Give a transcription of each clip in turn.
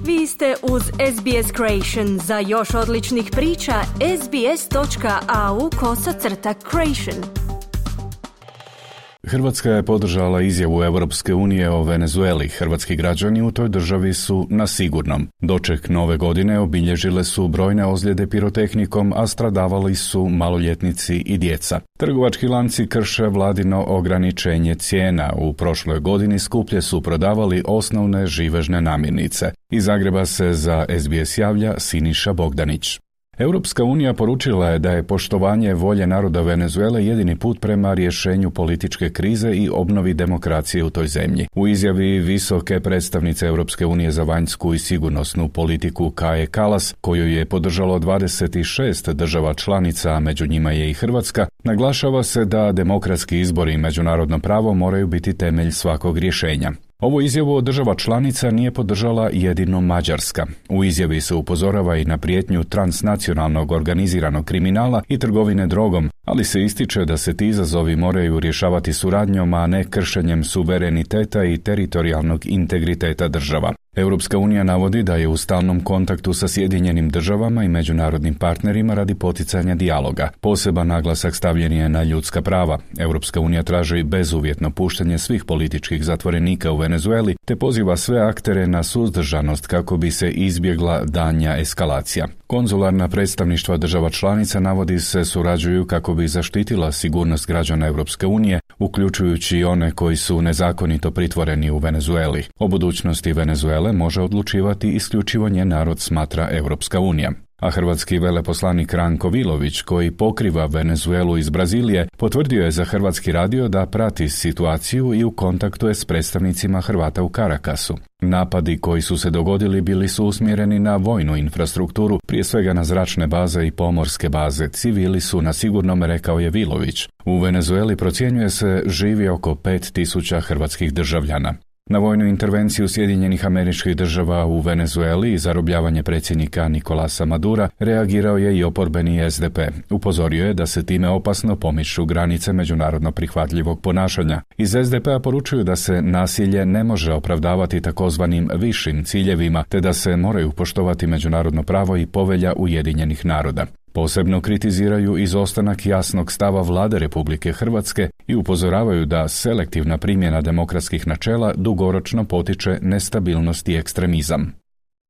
Vi ste uz SBS Creation. Za još odličnih priča, sbs.au/creation. Hrvatska je podržala izjavu Europske unije o Venezueli. Hrvatski građani u toj državi su na sigurnom. Doček nove godine obilježile su brojne ozljede pirotehnikom, a stradavali su maloljetnici i djeca. Trgovački lanci krše vladino ograničenje cijena. U prošloj godini skuplje su prodavali osnovne živežne namirnice. Iz Zagreba se za SBS javlja Siniša Bogdanić. Europska unija poručila je da je poštovanje volje naroda Venezuele jedini put prema rješenju političke krize i obnovi demokracije u toj zemlji. U izjavi visoke predstavnice Europske unije za vanjsku i sigurnosnu politiku Kaje Kallas, koju je podržalo 26 država članica, a među njima je i Hrvatska, naglašava se da demokratski izbori i međunarodno pravo moraju biti temelj svakog rješenja. Ovo izjavu od država članica nije podržala jedino Mađarska. U izjavi se upozorava i na prijetnju transnacionalnog organiziranog kriminala i trgovine drogom, ali se ističe da se ti izazovi moraju rješavati suradnjom, a ne kršenjem suvereniteta i teritorijalnog integriteta država. Europska unija navodi da je u stalnom kontaktu sa Sjedinjenim državama i međunarodnim partnerima radi poticanja dijaloga. Poseban naglasak stavljen je na ljudska prava. Europska unija traži bezuvjetno puštanje svih političkih zatvorenika u Venezueli te poziva sve aktere na suzdržanost kako bi se izbjegla daljnja eskalacija. Konzularna predstavništva država članica navodi se surađuju kako bi zaštitila sigurnost građana Europske unije, uključujući i one koji su nezakonito pritvoreni u Venezueli. O budućnosti Venezuele može odlučivati isključivo njen narod, smatra Europska unija. A hrvatski veleposlanik Ranko Vilović, koji pokriva Venezuelu iz Brazilije, potvrdio je za Hrvatski radio da prati situaciju i u kontaktu je s predstavnicima Hrvata u Caracasu. Napadi koji su se dogodili bili su usmjereni na vojnu infrastrukturu, prije svega na zračne baze i pomorske baze. Civili su na sigurnom, rekao je Vilović. U Venezueli procjenjuje se živi oko 5.000 hrvatskih državljana. Na vojnu intervenciju Sjedinjenih Američkih Država u Venezueli i zarobljavanje predsjednika Nicolasa Madura reagirao je i oporbeni SDP. Upozorio je da se time opasno pomiču granice međunarodno prihvatljivog ponašanja. Iz SDP-a poručuju da se nasilje ne može opravdavati takozvanim višim ciljevima, te da se moraju poštovati međunarodno pravo i povelja Ujedinjenih naroda. Posebno kritiziraju izostanak jasnog stava Vlade Republike Hrvatske i upozoravaju da selektivna primjena demokratskih načela dugoročno potiče nestabilnost i ekstremizam.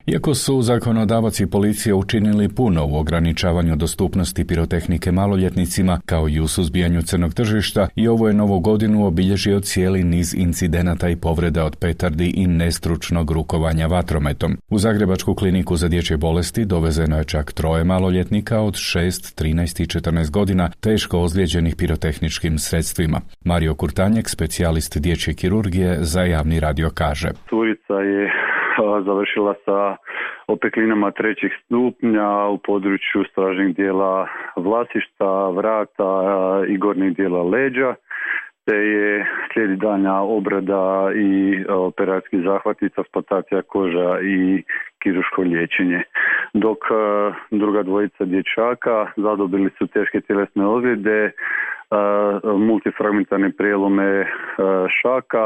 Iako su zakonodavac i policija učinili puno u ograničavanju dostupnosti pirotehnike maloljetnicima kao i u suzbijanju crnog tržišta, i ovo je novu godinu obilježio cijeli niz incidenata i povreda od petardi i nestručnog rukovanja vatrometom. U Zagrebačku kliniku za dječje bolesti dovezeno je čak 3 maloljetnika od 6, 13 i 14 godina teško ozlijeđenih pirotehničkim sredstvima. Mario Kurtanjek, specijalist dječje kirurgije, za Javni radio kaže: Curica je završila sa opeklinama 3. stupnja u području stražnjeg dijela vlasišta, vrata i gornjeg dijela leđa, te je slijedi daljnja obrada i operacijski zahvati, transplantacija koža i kirurško liječenje. Dok druga dvojica dječaka zadobili su teške tjelesne ozljede, multifragmentarne prijelome šaka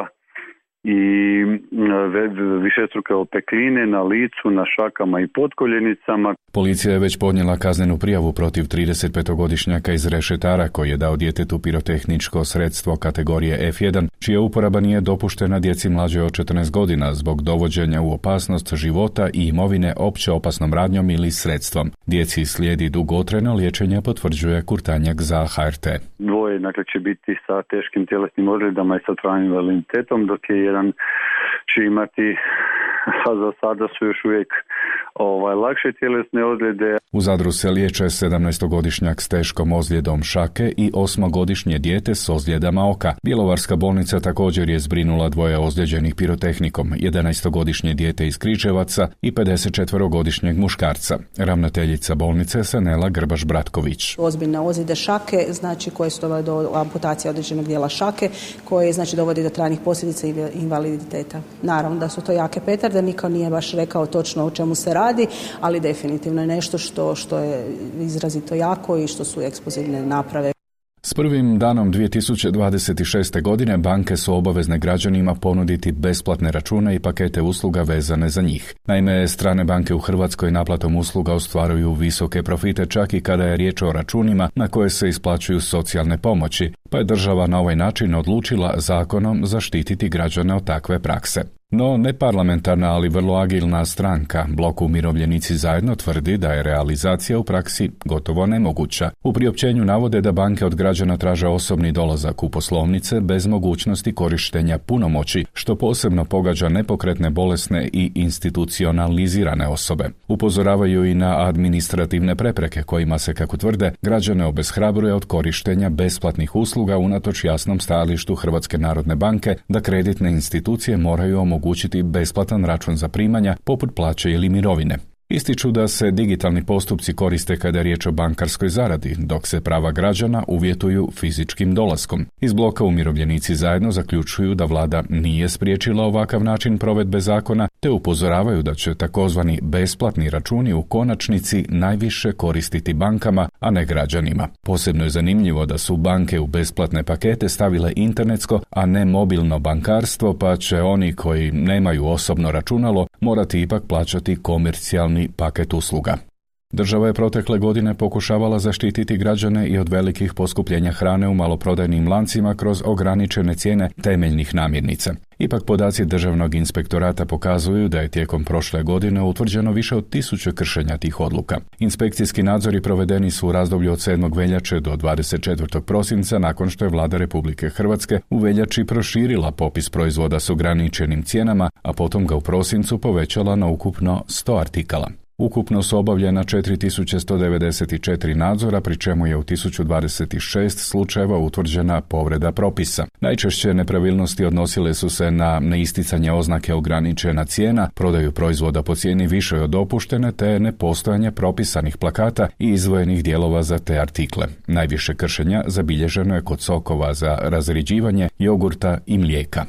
i višestruke opekline na licu, na šakama i potkoljenicama. Policija je već podnijela kaznenu prijavu protiv 35-godišnjaka iz Rešetara koji je dao djetetu pirotehničko sredstvo kategorije F1, čija uporaba nije dopuštena djeci mlađe od 14 godina zbog dovođenja u opasnost života i imovine opće opasnom radnjom ili sredstvom. Djeci slijedi dugotrajno liječenje, potvrđuje Kurtanjak za HRT. Dvoje će biti sa teškim tjelesnim ozljedama i sa trajnim invaliditetom, dok je jedan će imati, a za sada su još uvijek lakše tjelesne ozljede. U Zadru se liječe 17-godišnjak s teškom ozljedom šake i 8-godišnje dijete s ozljedama oka. Bjelovarska bolnica također je zbrinula 2 ozlijeđenih pirotehnikom, 11-godišnje dijete iz Križevaca i 54-godišnjeg muškarca. Ravnateljica bolnice Sanela Grbaš-Bratković. Ozbiljne ozljede šake, koje su dovele do amputacije određenog dijela šake, koje dovodi do trajnih posljedica i invaliditeta. Naravno da su to jake petarde, niko nije baš rekao točno o čemu se radi, ali definitivno je nešto što je izrazito jako i što su eksplozivne naprave. S prvim danom 2026. godine banke su obavezne građanima ponuditi besplatne račune i pakete usluga vezane za njih. Naime, strane banke u Hrvatskoj naplatom usluga ostvaruju visoke profite čak i kada je riječ o računima na koje se isplaćuju socijalne pomoći, pa je država na ovaj način odlučila zakonom zaštititi građane od takve prakse. No, neparlamentarna, ali vrlo agilna stranka, Blok Umirovljenici zajedno, tvrdi da je realizacija u praksi gotovo nemoguća. U priopćenju navode da banke od građana traže osobni dolazak u poslovnice bez mogućnosti korištenja punomoći, što posebno pogađa nepokretne, bolesne i institucionalizirane osobe. Upozoravaju i na administrativne prepreke kojima se, kako tvrde, građane obeshrabruje od korištenja besplatnih usluga unatoč jasnom stajalištu Hrvatske narodne banke da kreditne institucije moraju omogućiti besplatan račun za primanja poput plaće ili mirovine. Ističu da se digitalni postupci koriste kada je riječ o bankarskoj zaradi, dok se prava građana uvjetuju fizičkim dolaskom. Iz Bloka Umirovljenici zajedno zaključuju da vlada nije spriječila ovakav način provedbe zakona, te upozoravaju da će takozvani besplatni računi u konačnici najviše koristiti bankama, a ne građanima. Posebno je zanimljivo da su banke u besplatne pakete stavile internetsko, a ne mobilno bankarstvo, pa će oni koji nemaju osobno računalo morati ipak plaćati komercijalni paket usluga. Država je protekle godine pokušavala zaštititi građane i od velikih poskupljenja hrane u maloprodajnim lancima kroz ograničene cijene temeljnih namirnica. Ipak podaci Državnog inspektorata pokazuju da je tijekom prošle godine utvrđeno više od 1000 kršenja tih odluka. Inspekcijski nadzori provedeni su u razdoblju od 7. veljače do 24. prosinca nakon što je Vlada Republike Hrvatske u veljači proširila popis proizvoda s ograničenim cijenama, a potom ga u prosincu povećala na ukupno 100 artikala. Ukupno su obavljena 4194 nadzora, pri čemu je u 1026 slučajeva utvrđena povreda propisa. Najčešće nepravilnosti odnosile su se na neisticanje oznake ograničena cijena, prodaju proizvoda po cijeni višoj od dopuštene te nepostojanje propisanih plakata i izdvojenih dijelova za te artikle. Najviše kršenja zabilježeno je kod sokova za razrjeđivanje, jogurta i mlijeka.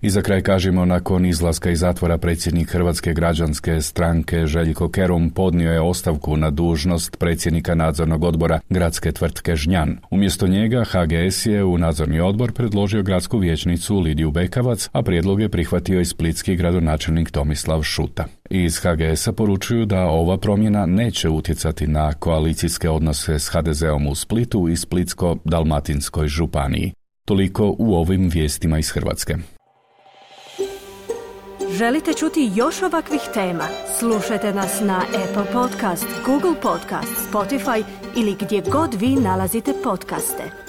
I za kraj kažemo, nakon izlaska iz zatvora predsjednik Hrvatske građanske stranke Željko Kerum podnio je ostavku na dužnost predsjednika nadzornog odbora gradske tvrtke Žnjan. Umjesto njega HGS je u nadzorni odbor predložio gradsku vijećnicu Lidiju Bekavac, a prijedlog je prihvatio i splitski gradonačelnik Tomislav Šuta. Iz HGS-a poručuju da ova promjena neće utjecati na koalicijske odnose s HDZ-om u Splitu i Splitsko-dalmatinskoj županiji. Toliko u ovim vijestima iz Hrvatske. Želite čuti još ovakvih tema? Slušajte nas na Apple Podcast, Google Podcast, Spotify ili gdje god vi nalazite podcaste.